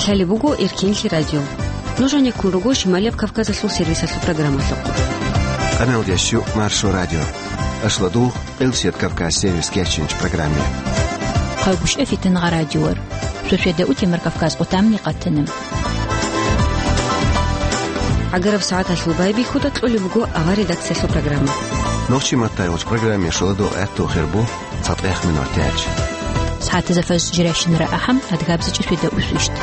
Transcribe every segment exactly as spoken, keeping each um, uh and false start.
Лъалеб буго Эркенлъи радио. Нуж гьанеккун руго Шималияб Кавказалъул сервисалъул программалъухъ. Къаналдящу Маршо радио. Ашладугъ, Къилсият Кавказ сервис кечинч программе. Хъалгушев Фитнагъа радиор. Шошеда утемар Кавказ къутамни къатана. ГӀагараб сагӀаталъул байбихьуда кьолеб буго авар редакциялъул программа. Нохчи маттай уч программе шоладо гӀатту хербу. ЦатӀехъ минутач. СагӀатазда фажр жирайщинара ахӀам, адгабзичӀи шведа усвищт.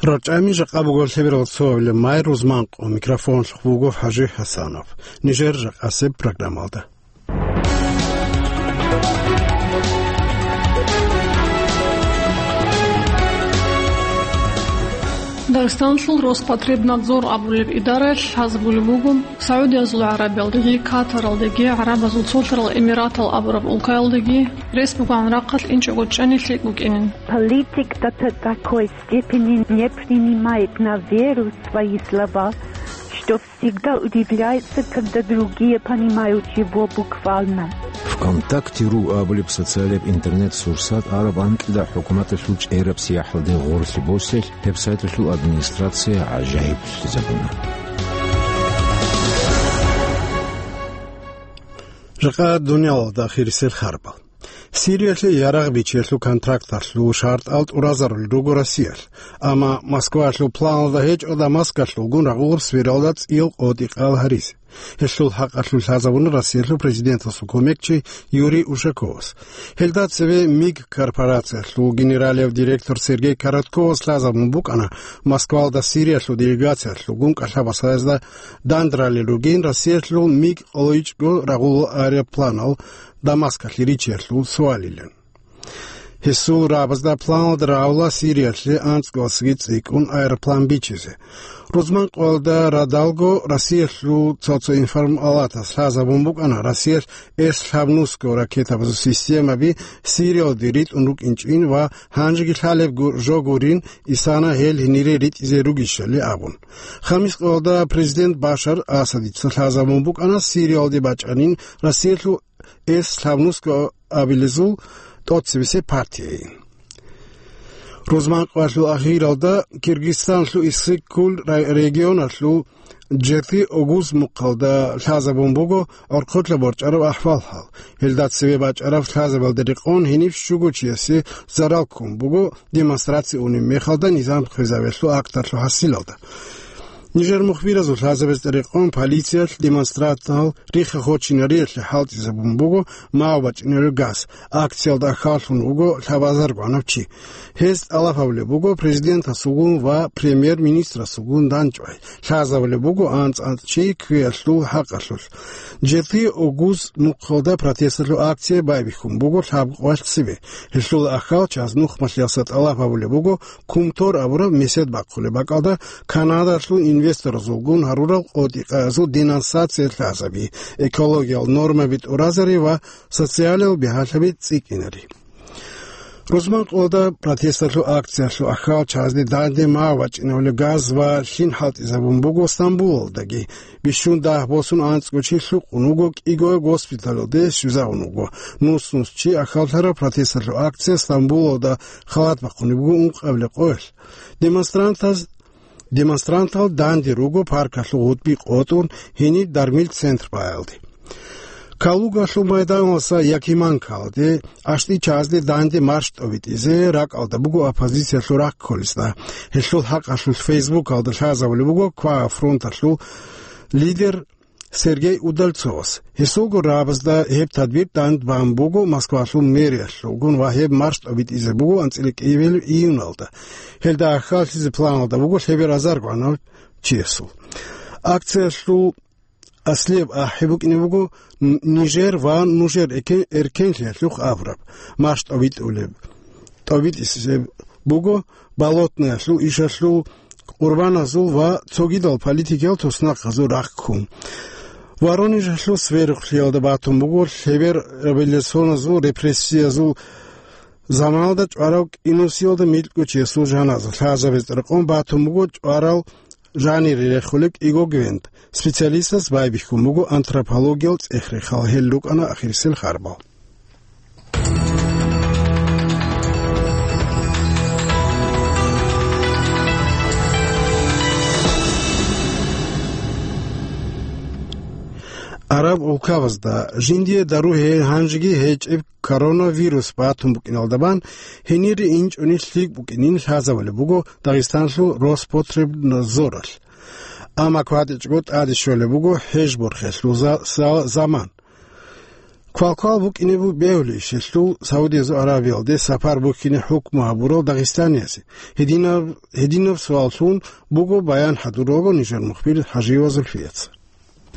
РачӀами жакъа буго лъеберал цоабилеб май рузманкъо, микрофонлъухъ буго ХӀажи ХӀасанов. Нижер жакъасеб программалда. Дагъистаналъул Роспотребнадзор абулеб идараялъ лъазабулеб буго, СагӀудиязул ГӀарабиялдаги, Катаралдаги, ГӀарабазул Цолъарал Эмиратал абураб улкаялдаги рес бугоан рахъалъ инчӀого чӀани лъикӀ букӀинин. Политик до та-, такой степени не принимает на веру свои слова, что всегда удивляется, когда другие понимают его буквально. ВКонтакте ру абулеб социалияб интернет-сурсат араб анкьида хӀукуматалъул чӀераб сияхӀалде гъорлъи боселъ, гьеб сайталъул администрация гӀажаиблъизабуна. Жакъа дуниялалда ахирисел харбал. Сириялъе ярагъ бичиялъул контракталъул шартӀал тӀуразарулел руго Россиялъ, амма Москвалъул планалда гьечӀо Дамаскалъулгун рагъулаб свералда цӀиял къотӀи-къал гьаризе. Гьелъул хӀакъалъулъ лъазабуна Россиялъул президентасул кумекчи Юрий Ушаковас. Гьелда цеве МИГ корпорациялъул генералияб директор Сергей Коротковас лъазабун букӀана Москвалда Сириялъул делегациялъулгун кӀалъабасаязда дандрали ругин Россиялъул МИГ къолойчӀго рагъулал аэропланал Дамаскалъе ричиялъул суалилан. Гьесул рабазда планалда рагӀула Сириялъе анцӀгоялдасаги цӀикӀкӀун аэроплан бичизе. Рузманкъоялда радалго Россиялъул цо-цо информалатас лъазабун букӀана Россиялъ Эс лъабнусго ракетабазул системаби Сириялде ритӀун рукӀинчӀин ва гьанжеги лъалеб гу-, жо гурин, исана гьел гьенире ритӀизе ругищали абун. Хамискъоялда президент Башар Асадица лъазабун букӀана Сириялде бачӀанин Россиялъул Эс лъабнусго абилезул тӀоцебесеб партияйин. Рузманкъоялъул ахиралда Киргизстанлъул Иссык-Куль рай-, регионалъул Жети Огуз мухъалда лъазабун буго гӀорхъолъа борчӀараб ахӀвал-хӀал. Гьелда цеве бачӀараб лъазабалда рекъон гьениб щуго чиясе зарал ккун буго, демонстраци унеб мехалда низам хвезавиялъул акталъул хӀасилалда. Нижер мухбиразул лъазабазда рекъон полициялъ демонстрантал рихха-хочинариялъе хӀалтӀизабун буго мав бачӀинарев газ. Акциялда ахӀаллъун вуго лъабазаргванав чи. Гьез тӀалаб гьабулеб буго президентасулгун ва премьер-министрасулгун дандчӀвай. Лъазабулеб буго анцӀ-анцӀ чи кквеялъул хӀакъалъулъ. Жети Огуз мухъалда протесталъул акция байбихьун буго лъабкъоялъ цебе. Гьелъул ахӀал чаз нухмалъиялъа тӀалаб гьабулеб буго Кумтор абураб месед бахъулеб бакӀалда Канадалъул инвесторазулгун гьарурал къотӀи-къаязул денонсация лъазаби, экологиял нормаби тӀуразари ва социалиял бигьалъаби цӀикӀкӀинари. Рузманкъоялда протесталъул акциялъул ахӀал чазде данде мав бачӀинабулеб газ ва лъим хӀалтӀизабун буго Стамбулалдаги. Бищун дагь босун анцӀго чи лъукъун вуго, кӀиго госпиталалде щвезавун вуго. Нус-нус чи ахӀаллъараб протесталъул акция Стамбулалда халат бахъунеб буго ункъабилеб къоялъ. Демонстрантаз-, демонстрантал данде руго паркалъул гъутӀби къотӀун гьениб дармил центр баялде. Калугалъул майданалъа Якиманкалде гӀащтӀи чазде данде марш тӀобитӀизе ракӀалда буго оппозициялъул рахъ кколесда. Гьелъул хӀакъалъулъ Фейсбукалда лъазабулеб буго Кваа фронталъул лидер Сергей Удальцовас. Гьесулго рабазда гьеб тадбир дандбан буго Москвалъул мэриялъулгун ва гьеб марш тӀобитӀизе буго анцӀила кӀиабилеб июналда. Гьелда ахӀаллъизе планалда буго лъеберазаргванав чиясул. Акциялъул аслияб ахӀи букӀине буго Н-, Нижер ва нужер экен-, эркенлъиялъухъ абураб. Марш тӀобитӀулеб, тӀобитӀисеб буго Болотноялъул, ишалъул, Къурбаназул ва цогидал политикиял туснахъазул рахъ ккун. Воронежалъул Сверухълъиялда батун буго лъебер революционазул репрессиязул заманалда чӀварав кӀинусиялда микьго чиясул жаназа. Лъазабазда рекъон батун буго чӀварал жанире рехулеб кӀиго гвент. Специалистас байбихьун буго антропологиял цӀех-рехал, гьел рукӀана ахирисел харбал. Араб улкабазда жиндие дару гье-, гьанжеги гьечӀеб коронавирус батун букӀиналда бан, гьенире инчӀони лъикӀ букӀинин лъазабулеб буго Дагъистанлъул Роспотребнадзоралъ. Амма кватӀичӀого тӀаде щолеб буго хӀеж борхелъул за-, за-, заман. Квалквал букӀине бу-, бегьулищ гьелъул Саудиязул Аравиялде сапар букине хӀукму гьабурал дагъистаниязе? Гьединаб, гьединаб суаллъун буго баян хӀадуралго нижер мухбир ХӀажиева Зульфияца.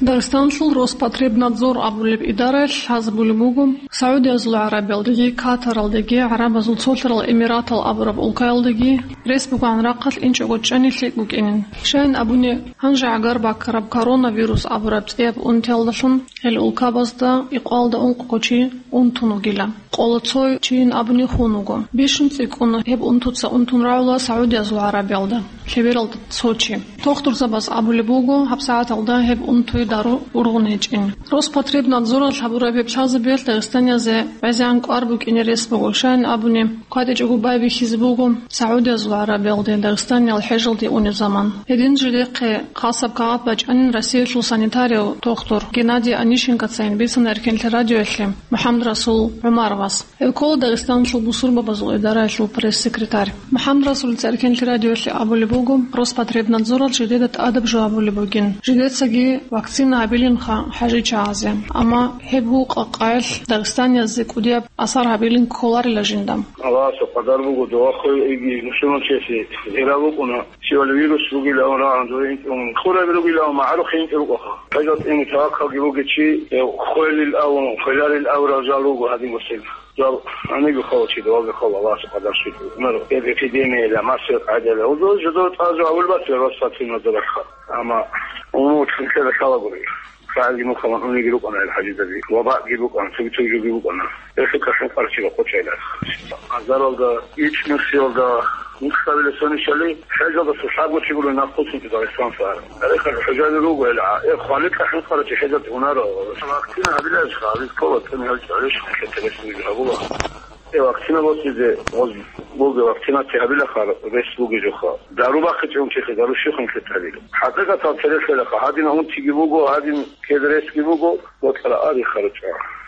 Дагъистанлъул Роспотребнадзор абулеб идараялъ лъазабулеб буго, Саудиязул Аравиялдеги, Катаралдеги, ГӀарабазул Цолъарал Эмиратал абураб улкаялдеги рес бугоан рахъалъ инчӀого чӀани лъикӀ букӀинин. Щайин абуни, гьанже гӀагар баккараб коронавирус абураб цӀияб унтиялдалъун гьел улкабазда икъвалда ункъго чи унтун вугила. Къоло цо чийин абуни хун вуго. Бищун цӀикӀкӀун гьеб унтуца унтун рагӀула Саудиязул Гьарабиялда, лъебералда цо чи. Тухтурзабаз абулеб буго, гьабсагӀаталда гьеб унтуе дару ургъун гьечӀин. Роспотребнадзоралъ гьабураб гьеб лъазабиялъ дагъистаниязе гӀезегӀан кӀвар букӀине рес буго, щайин абуни, кватӀичӀого байбихьизе буго Саудиязул Гьарабиялде дагъистаниял хӀежалде унеб заман. Гьедин жидехъе хасаб кагъат бачӀанин Россиялъул санитарияв тухтур Геннадий Онищенкоцайин бицана Эркенлъи радиоялъе МухӀаммадрасул ГӀумаровас. Гьев ккола Дагъистаналъул бусурбабазул идараялъул пресс-секретарь. МухӀаммадрасулица Эркенлъи радиоялъе абулеб буго, Роспотребнадзоралъ жидеда тӀадаб жо гьабулеб бугин. Жидецаги вакцина гьабилинха хӀажичагӀазе. Амма гьеб гьукъа-къаялъ дагъистаниязде кӀудияб асар гьабилин кколарила жинда. Аллагьасул къадар буго, дова хвей иги мусулманчиясе зира букӀуна. Щивали вирус бугилан рагӀун, дуе интӀун хъураби ругилан, магӀарухъе интӀи рукӀаха. ХӀежалъ тӀине таваккалги бугечи, хвелил авун, хвеларил аврал жал руго гьадин госел. Жал гьаниги хъала чи, даваги хъала, Аллагьас къадар щвелъул. Мер, эпидемияла, масер гӀадала. Удо жидо тӀазу гьавулбатир Роспотребнадзоралъха. Амма умумул хӀинкъила лъалагури. СагӀилги мухъаман униги рукӀана ил хӀажидаби, вабаъги букӀана, цоги-цоги жоги букӀана. Гьелъул кашин къарчила къочайла. Азаралда, ичӀнусиялда, мухъабила соничали, хӀежалдаса лъабго чи гурони нахъ хъусинчи Дагъистан сар. Гьелъул хӀужаби руго гьел, э, хваликьа хӀинкъарачи хӀежалде унара. Вакцина гьабилаеш хъалис ккола, цӀуни гьал чӀалиш хӀинкъи телефонги гьабула. Э, вакцина босизе, гъоз буго вакцинация гьабилахъа, рес бугежуха. Дару бахъичӀев унчехъе, дару щухъ хӀинкъи талил. ХӀакъикъатал терехелаха, гьадин унтиги буго, гьадин кед ресги буго.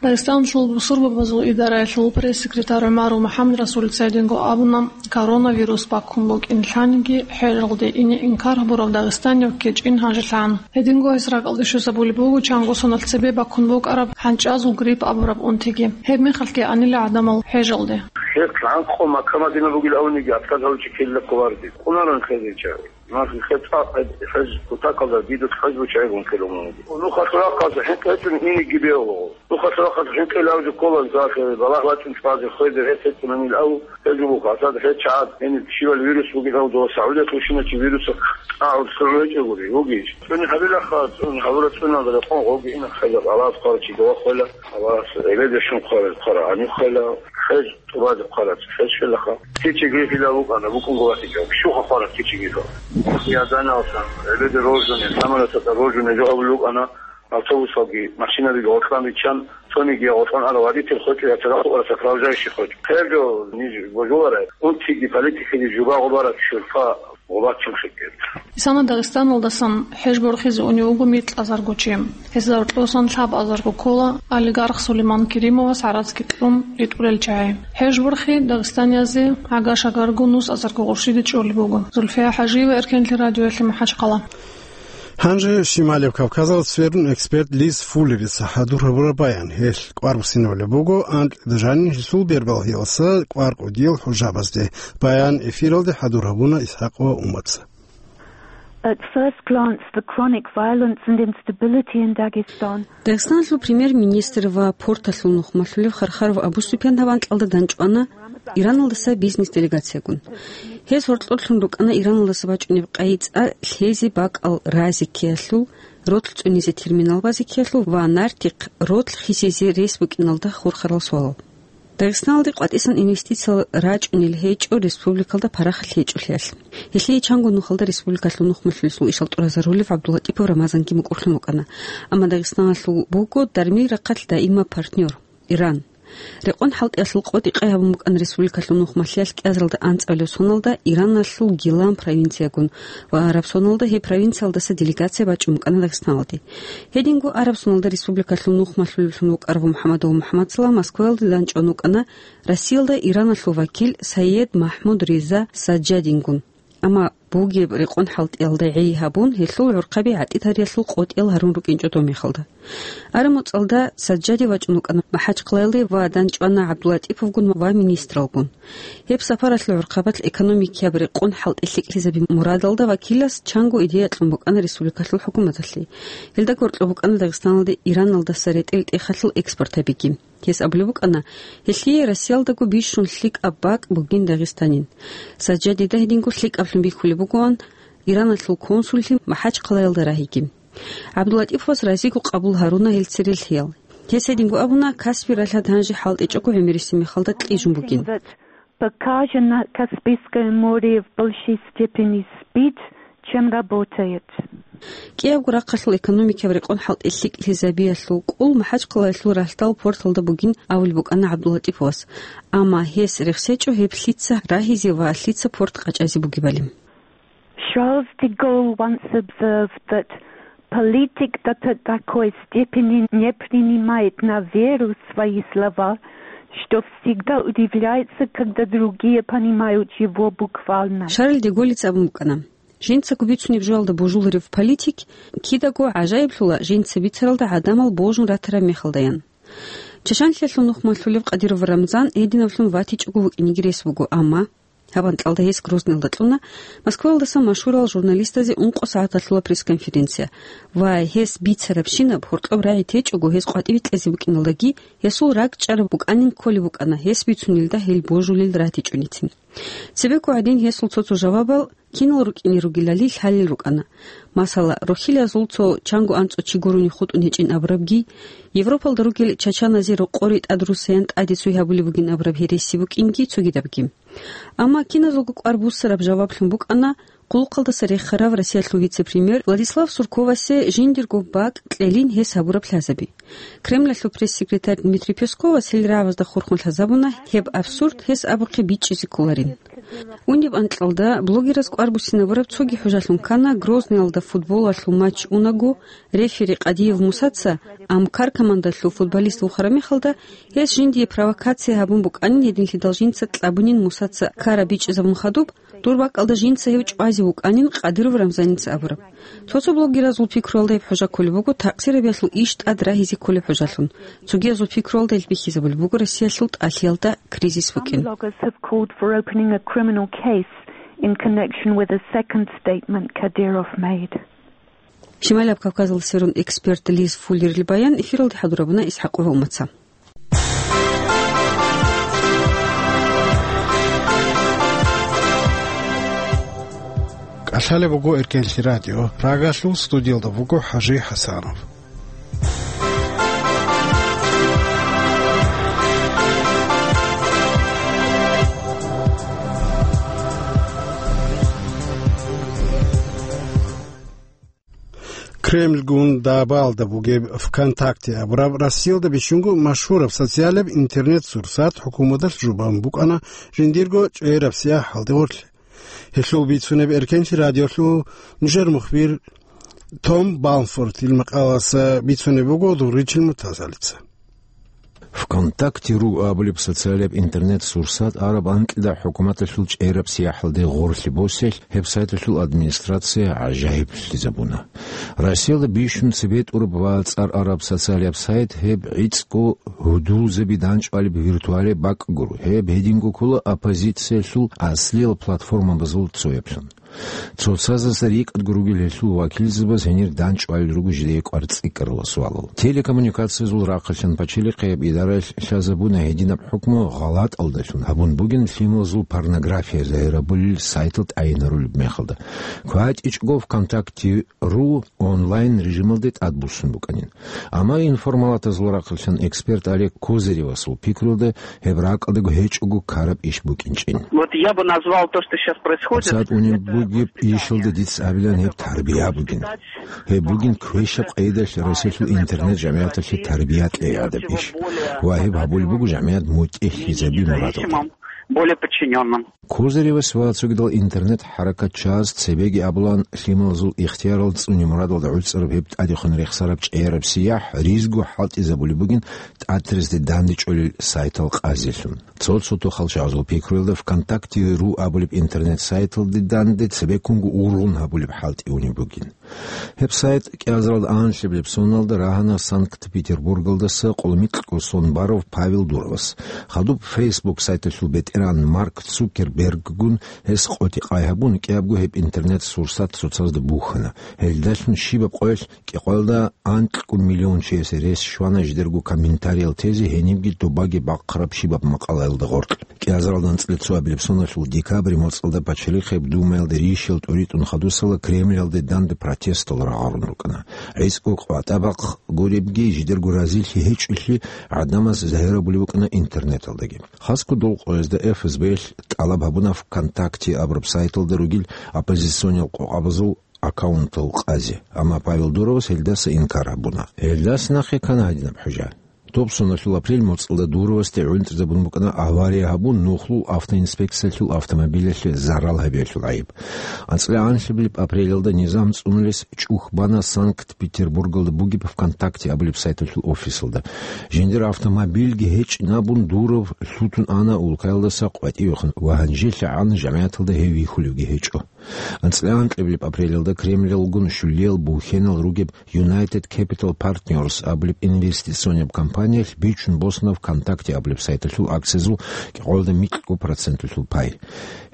Дагъистаналъул бусурбабазул идараялъул пресс-секретарь ГӀумаров МухӀаммадрасулица гьединго абуна, коронавирус баккун букӀин лъаниги, хӀежалде ине инкар гьабурав дагъистанив ккечӀин гьанжелъан. Гьединго гьес ракӀалде щвезабулеб буго чанго соналъ цебе баккун букӀараб хӀанчӀазул грипп абураб унтиги. Гьеб мехалъги анила гӀадамал хӀежалде. Хер лъанкъо Макка-Мадина бугил авниги, аскӀад гьавичи ккелила хъуларги. Къунаран хезича. Нахъе цӀакъ гьеб хӀеж кутакалда дидулъ хӀеж бучӀайгун ккелун вуго. Нухалъ рахъалъ хӀинкъи гьечӀун инеги бегьулаго. Нухалъ рахъалъ хӀинкъи лавги ккола, нухалъ балагь бачӀун чӀвазе хвезе гьес гьечӀунанил ав, гьезул буго, асад гьечӀад, гьениб щивал вирус бугилан дова Саудиялъ вущиначи вирусахъ тӀагӀун лъугӀун гьечӀогури, вугищ? ЦӀуни гьабилаха, цӀуни гьабура цӀуналда рекъон гъоги ина хвела, Аллагьас хъварачи дова хвела, Аллагьас гӀебедешун хъварел хъвара гьанив хвела, хӀеж тӀубазе хъвараб, хӀеж хвелаха. Кичи гриппила вукӀана, букӀунго ватичӀо. Щуха хъвараб кичи гриппа. Я даналсан, гӀебеде рождуне, самолеталда рождуне жо гьабулел вукӀана, автобусалги, машинабиги гъоркьан биччан, цониги гъоркьан ара водитель хъвечӀо, я цадахъ укӀара сопровождающий хъвечӀо. Хъерго ниж божуларай, унтиги политикиги жуба гъубараб шурпа гъубачун хикӀкӀи. Исана Дагъистаналдасан хӀеж борхизе унев вуго микьазарго чи. Гьезда гьоркьосан лъабазарго ккола олигарх Сулейман Керимовас гӀарацги кьун ритӀулел чагӀи. ХӀеж борхи дагъистаниязе гӀага-шагарго нусазарго гъурщиде чӀолеб буго. Зульфия ХӀажиева, Эркенлъи радиоялъе, МахӀачхъала. Гьанже Шималев Кавказалда сверун эксперт Лиз Фуллерица хӀадур гьабураб баян. Гьелъ кӀвар буссинабулеб буго анкьида жанин гьелъул бербалъиялдаса кӀвар кӀудиял хӀужабазде. Баян эфиралде хӀадур гьабуна ИсхӀакъова Умаца. At first glance, the chronic violence and instability in Dagestan. Дагъистаналъул премьер-министр ва порталъул нухмалъулев Хархаров Абу-Супьян гьав анкьалда данчӀвана Ираналдаса бизнес-делегациягун. Гьез гьоркьорлъун рукӀана Ираналдаса бачӀунеб къайи-цӀа лъезе бакӀал разе ккеялъул, ротлъ цӀунизе терминал базе ккеялъул ва нартихъ ротлъ хисизе рес букӀиналда хурхарал суалал. Дагъистаналде къватӀисан инвестициял рачӀунел гьечӀо республикалда парахат гьечӀолъиялъ. Гьелъие чанго нухалда республикалъул нухмалъулъул ишал тӀуразарулев ГӀабдуллатӀипов Рамазанги мукӀурлъун вукӀана. Амма Дагъистаналъул буго дармил рахъалъ даимаб партнер, Иран. Рекъон хӀалтӀиялъул къотӀи къай гьабун букӀана республикалъул нухмалъиялъ кӀиазаралда анцӀабилеб соналда Ираналъул Гилан провинциягун ва гьаб соналда гьеб провинциялдаса делегация бачӀун букӀана Дагъистаналде. Гьединго араб соналда республикалъул нухмалъулевлъун вукӀарав МухӀаммадов МухӀаммадсала Москваялде данчӀван вукӀана Россиялда Ираналъул вакил Сайед Махмуд Риза Саджадингун. Амма бугеб рекъон хӀалтӀиялда гӀей гьабун, гьелъул гӀурхъаби гӀатӀи-тариялъул къотӀиял гьарун рукӀинчӀо доб мехалда. Араб муцӀалда Саджади вачӀун вукӀана МахӀачхъалаялде ва данчӀвана ГӀабдулатӀиповгун ва министралгун. Гьеб сапаралъул гӀурхъабалъ экономикияб рекъон хӀалтӀи лъикӀлъизаби мурадалда вакилас чанго идея кьун букӀана республикалъул хӀукуматалъе. Гьелда гьоркьоб букӀана Дагъистаналде Ираналдаса ретӀел-тӀехалъул экспорт гьабиги. Гьес абулеб букӀана, гьелъие Россиялдаго бищун лъикӀаб бакӀ бугин Дагъистанин. Саджадида гьединго лъикӀаблъун бихьулеб бугоан Ираналъул консуллъи МахӀачхъалаялда рагьиги. ГӀабдулатӀиповас разиго къабул гьаруна гьел церелъиял. Гьес гьединго абуна, Каспи ралъад гьанже хӀалтӀичӀого гӀемерисеб мехалда кьижун бугин. Покажет, что Каспийское море в большей степени спит, чем работает. КӀиябго рахъалъул экономикияб рекъон хӀалтӀи лъикӀлъизабиялъул кӀул МахӀачхъалаялъул ралъдал порталда бугин абулеб букӀана ГӀабдулатӀиповас, амма гьес рехсечӀо гьеб лъица рагьизе ва лъица порт къачӀазе бугебали. Charles de Gaulle once observed that политик до такой степени не принимает на веру свои слова, что всегда удивляется, когда другие понимают его буквально. Шарль де Голлица абун букӀана, жинцаго бицунеб жоялда божуларев политик кидаго гӀажаиблъула жинца бицаралда гӀадамал божун ратараб мехалдаян. Чачанлъиялъул нухмалъулев Кадыров Рамзан гьединаблъун ватичӀого вукӀинеги рес буго, амма гьаб анкьалда гьес Грозныйалда кьуна Москваялдаса машгьурал журналистазе ункъо сагӀат гьалъула пресс-конференция ва гьес бицарабщинаб гьоркьоб рагӀи течӀого гьес къватӀибе кьезе букӀиналдаги, гьесул ракӀчӀараб букӀанин кколеб букӀана гьес бицунелда гьел божулел ратичӀоницин. Цебекко гӀадин гьесул цо-цо жавабал кинал рукӀине ругелали лъалел рукӀана. Масала, рохьилазул цо чанго анцӀго чи гурони хутӀун гьечӀин абурабги, Европалда ругел чачаназе рокъоре тӀад руссаян тӀаде цой гьабулеб бугин абураб гьереси букӀинги цогидабги. Амма киназулго кӀвар буссараб жаваблъун букӀана къуллукъалдаса рехарав Россиялъул вице-премьер Владислав Сурковасе жиндирго бакӀ кьелин гьес гьабураб лъазаби. Кремлалъул пресс-секретарь Дмитрий Песковас гьел рагӀабазда хурхун лъазабуна, гьеб абсурд гьес абухъе бичӀчӀизе кколарин. Униб анкьалда блогераз кӀвар буссинабураб цоги хӀужалъун ккана Грозныйалда футболалъул матч унаго, рефери Къадиев Мусаца Амкар командалъул футболист вухараб мехалда, гьес жиндие провокация гьабун букӀанин гьединлъидал жинца кьабунин Мусаца ккараб бичӀчӀизабун хадуб, дур бакӀалда жинца гьев чӀвазе вукӀанин Къадыров Рамзаница абураб. Цо-цо блогеразул пикруялда гьеб хӀужа кколеб буго такъсирабиялъул иш тӀад рагьизе кколеб хӀужалъун. Цогиязул пикруялда гьел бихьизабулеб буго Россиялъул тӀалъиялда кризис букӀин. Some bloggers have called for opening a criminal case in connection with a second statement Kadyrov made. Шималияб Кавказалда сверун эксперт Лиз Фуллерил баян эфиралде хӀадурабуна ИсхӀакъ Гьомаца. КӀалъалеб буго Эркенлъи радио. Прагалъул студиялда буго ХӀажи ХӀасанов. Кремльгун дабаалда бугеб ВКонтакте абураб Россиялда бищунго машгьураб социалияб интернет-сурсат хӀукуматалъ жубан букӀана жиндирго чӀваяраб сияхӀалде гъорлъ. Гьелъул бицунеб Эркенлъи радиолъул нужер мухбир Том Балмфордил макъаласа бицунеб буго Дурричил Муртазалица. ВКонтакте ру абулеб социалияб интернет-сурсат араб анкьида хӀукуматалъул чӀваяраб сияхӀалде гъорлъ боселъ, гьеб сайталъул администрация гӀажаиблъизабуна. Россиялда бищун цебетӀураб ва цӀар араб социалияб сайт гьеб гӀицӀго гьудулзаби данчӀвалеб виртуалияб бакӀ гуро. Гьеб гьединго ккола оппозициялъул аслиял платформабазул цояблъун. Цоцазда рикӀкӀадго ругел гьелъул вакилзабаз гьенир данчӀвалел руго жидее кӀвар цӀикӀкӀарала суалал. Телекоммуникациязул рахъалъан пачалихъияб идараялъ лъазабуна гьединаб хӀукму гъалатӀалдалъун гьабун бугин лъималазул порнография загьирабулел сайтал тӀайинарулеб мехалда. КватӀичӀого ВКонтакте ру онлайн режималде тӀадбуссун букӀанин. Амма информалатазул рахъалъан эксперт Олег Козыревасул пикруялда гьеб ракӀалдаго гьечӀого ккараб иш букӀинчӀин. Вот я бы назвал то, что сейчас происходит, ГьабсагӀат унеб это Бугеб ишалда дица абилан гьеб тарбия бугин. Гьеб бугин квешаб къайдалъ Россиялъул интернет-жамгӀияталъе тарбия кьей гӀадаб иш. Ва гьеб гьабулеб буго жамгӀият мутӀигӀлъизаби мурадалда. Более подчинённым. Козыревас ва цогидал интернет-хӀаракатчияс цебеги абулан, лъималазул ихтиярал цӀуни мурадалда гӀуцӀараб гьеб тӀадехун рехсараб чӀеяраб сияхӀ ризго хӀалтӀизабулеб бугин тӀатразде дандечӀолел сайтал къазелъун. Цо-цо тохал чагӀазул пикруялда ВКонтакте ру абулеб интернет-сайталде данде цебеккунго ургъун гьабулеб хӀалтӀи унеб бугин. Гьеб сайт кӀиазаралда анлъабилеб соналда рагьана Санкт-Петербургалдаса къоло микьго сон барав Павел Дуровас. Хадуб Facebook сайталъул бетӀеран Марк Цукерберггун гьес къотӀи-къай гьабун, кӀиябго гьеб интернет-сурсат цоцазда бухьана. Гьелдалъун щибаб къоялъ кӀикъоялда анкьго миллион чиясе рес щвана жидерго комментариял тезе гьенибги добаги бахъараб щибаб макъалаялда гъоркь. КӀиазаралда анцӀила цоабилеб соналъул декабрь моцӀалда Пачалихъеб Думаялда рищал тӀуритӀун хадусала Кремльалде данде протестал рагъарун рукӀана. ГӀицӀго къватӀа бахъ гуребги, жидерго разилъи гьечӀолъи гӀадамаз загьирабулеб букӀана интернеталдаги. Хасго дол къоязда ФСБ-лъ тӀалаб гьабуна ВКонтакте абураб сайталда ругел оппозициониял къокъабазул аккаунтал къазе, амма Павел Дуровас гьелдаса инкар гьабуна. Гьелдаса нахъе ккана гьадинаб хӀужа. Доб соналъул апрель моцӀалда Дуровасде гӀунтӀизабун букӀана авария гьабун нухлул автоинспекциялъул автомобилялъе зарал гьабиялъул гӀайиб. АнцӀила анлъабилеб апрелалда низам цӀунулес чӀух бана Санкт-Петербургалда бугеб ВКонтакте абулеб сайталъул офисалда. Жиндир автомобильги гьечӀин абун Дуров лъутун ана улкаялдаса къватӀивехун ва гьанжелъагӀан жамгӀияталда гьев вихьулевги гьечӀо. АнцӀила анкьабилеб апрелалда Кремльалгун щулиял бухьенал ругеб United Capital Partners абулеб инвестиционяб компаниялъ бичун босана ВКонтакте абулеб сайталъул акциязул кӀикъоялда микьго проценталъул пай.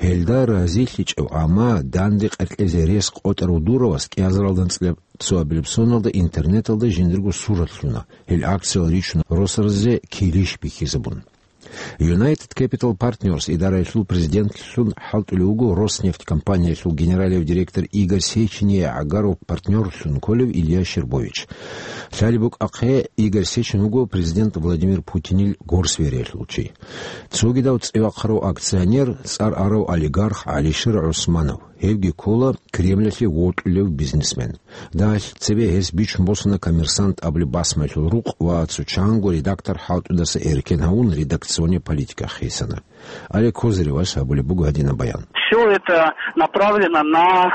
Гьелда разилъичӀев, амма данде къеркьезе рес къотӀарав Дуровас кӀиазаралда анцӀила цоабилеб соналда интернеталда жиндирго сурат лъуна. Гьел акциял ричун росаразе килищ бихьизабун. United Capital Partners идараялъул президентлъун хӀалтӀулев вуго Роснефть компаниялъул генералияв директор Игорь Сечин, гӀагарав партнёрлъун кколев Илья Щербович. Лъалеб букӀахъе, Игорь Сечин вуго президент Владимир Путинил горсвериялъул чи. Цогидав цӀивахъарав акционер, цӀар арав олигарх ГӀалишер ГӀусманов. Гьевги ккола Кремльалъе вокьулев бизнесмен. Дагьалъ цебе гьес бичун босана «Коммерсант» абулеб басмаялъул рукъ ва цо чанго редактор хӀалтӀудаса эркен гьавун редакционный политика хисана. Олег Козыревас гьабулеб буго гьадинаб баян. Всё это направлено на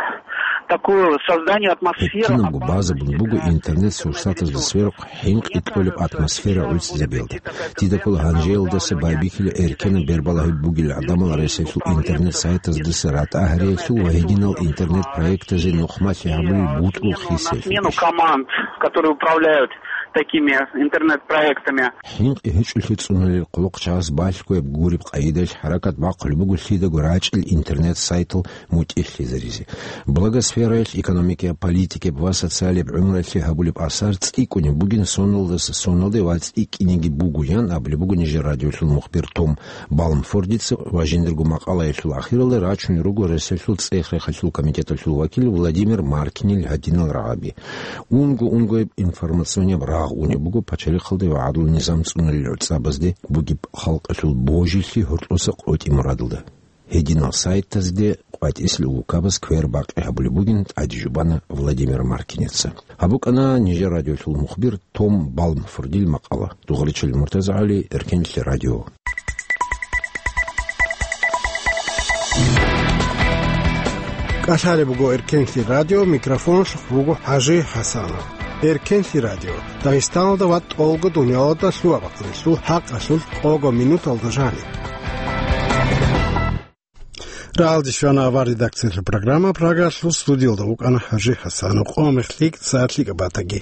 такую, созданию атмосферы опасности для интернет-сообщества. Гьеб кинабго базабун буго интернет-сурсатазда сверухъ хӀинкъи кьолеб атмосфера гӀуцӀизабиялда. Дида ккола гьанжеялдаса байбихьила эркенаб бербалагьи бугел гӀадамал ресалъул интернет-сайтаздаса ратӀа-гьариялъул ва гьединал интернет-проектазе нухмалъи гьабулел бутӀрул хисиялъул. На смену команд, которые управляют такими интернет-проектами. ХӀинкъи гьечӀолъи цӀунулел хъулухъчагьаз балъгояб гуреб къайдалъ хӀаракат бахъулеб буго лъидаго рачӀел интернет-сайтал мутӀигӀлъизаризе. Благосфераялъ экономикаяб, политикаяб ва социалияб гӀумруялъе гьабулеб асар цӀикӀкӀунеб бугин соналдаса соналде ва цӀикӀкӀинеги буго, ян абулеб буго нижер радиолъул мухбир Том Балмфордица ва жиндирго макъалаялъул ахиралда рачунел руго ресалъул цӀех-рехалъул комитеталъул вакил Владимир Маркинил гьадинал рагӀаби. Унго-унгояб информационияб рагъ унеб буго пачалихъалда ва гӀадлу-низам цӀунулел гӀуцӀабазде бугеб халкъалъул божилъи гьоркьоса къотӀи мурадалда. Гьединал сайтазде къватӀисел улкабаз квер бакъи гьабулеб бугин тӀаде жубана Владимир Маркинеца. Гьаб букӀана нижер радиолъул мухбир Том Балмфордил макъала. Дугъричил МуртазагӀали, Эркенлъи радио. КӀалъалеб буго Эркенлъи радио, микрофоналъухъ буго ХӀажи ХӀасанов. Эркенлъи радио, Дагъистаналда ва тӀолго дуниялалда лъугьа-бахъиналъул хӀакъалъулъ къого минуталда жаниб. Рагьалде щвана авар редакциялъул программа, Прагалъул студиялда вукӀана ХӀажи ХӀасанов. Къо-мех лъикӀ, сагӀат лъикӀаб батаги.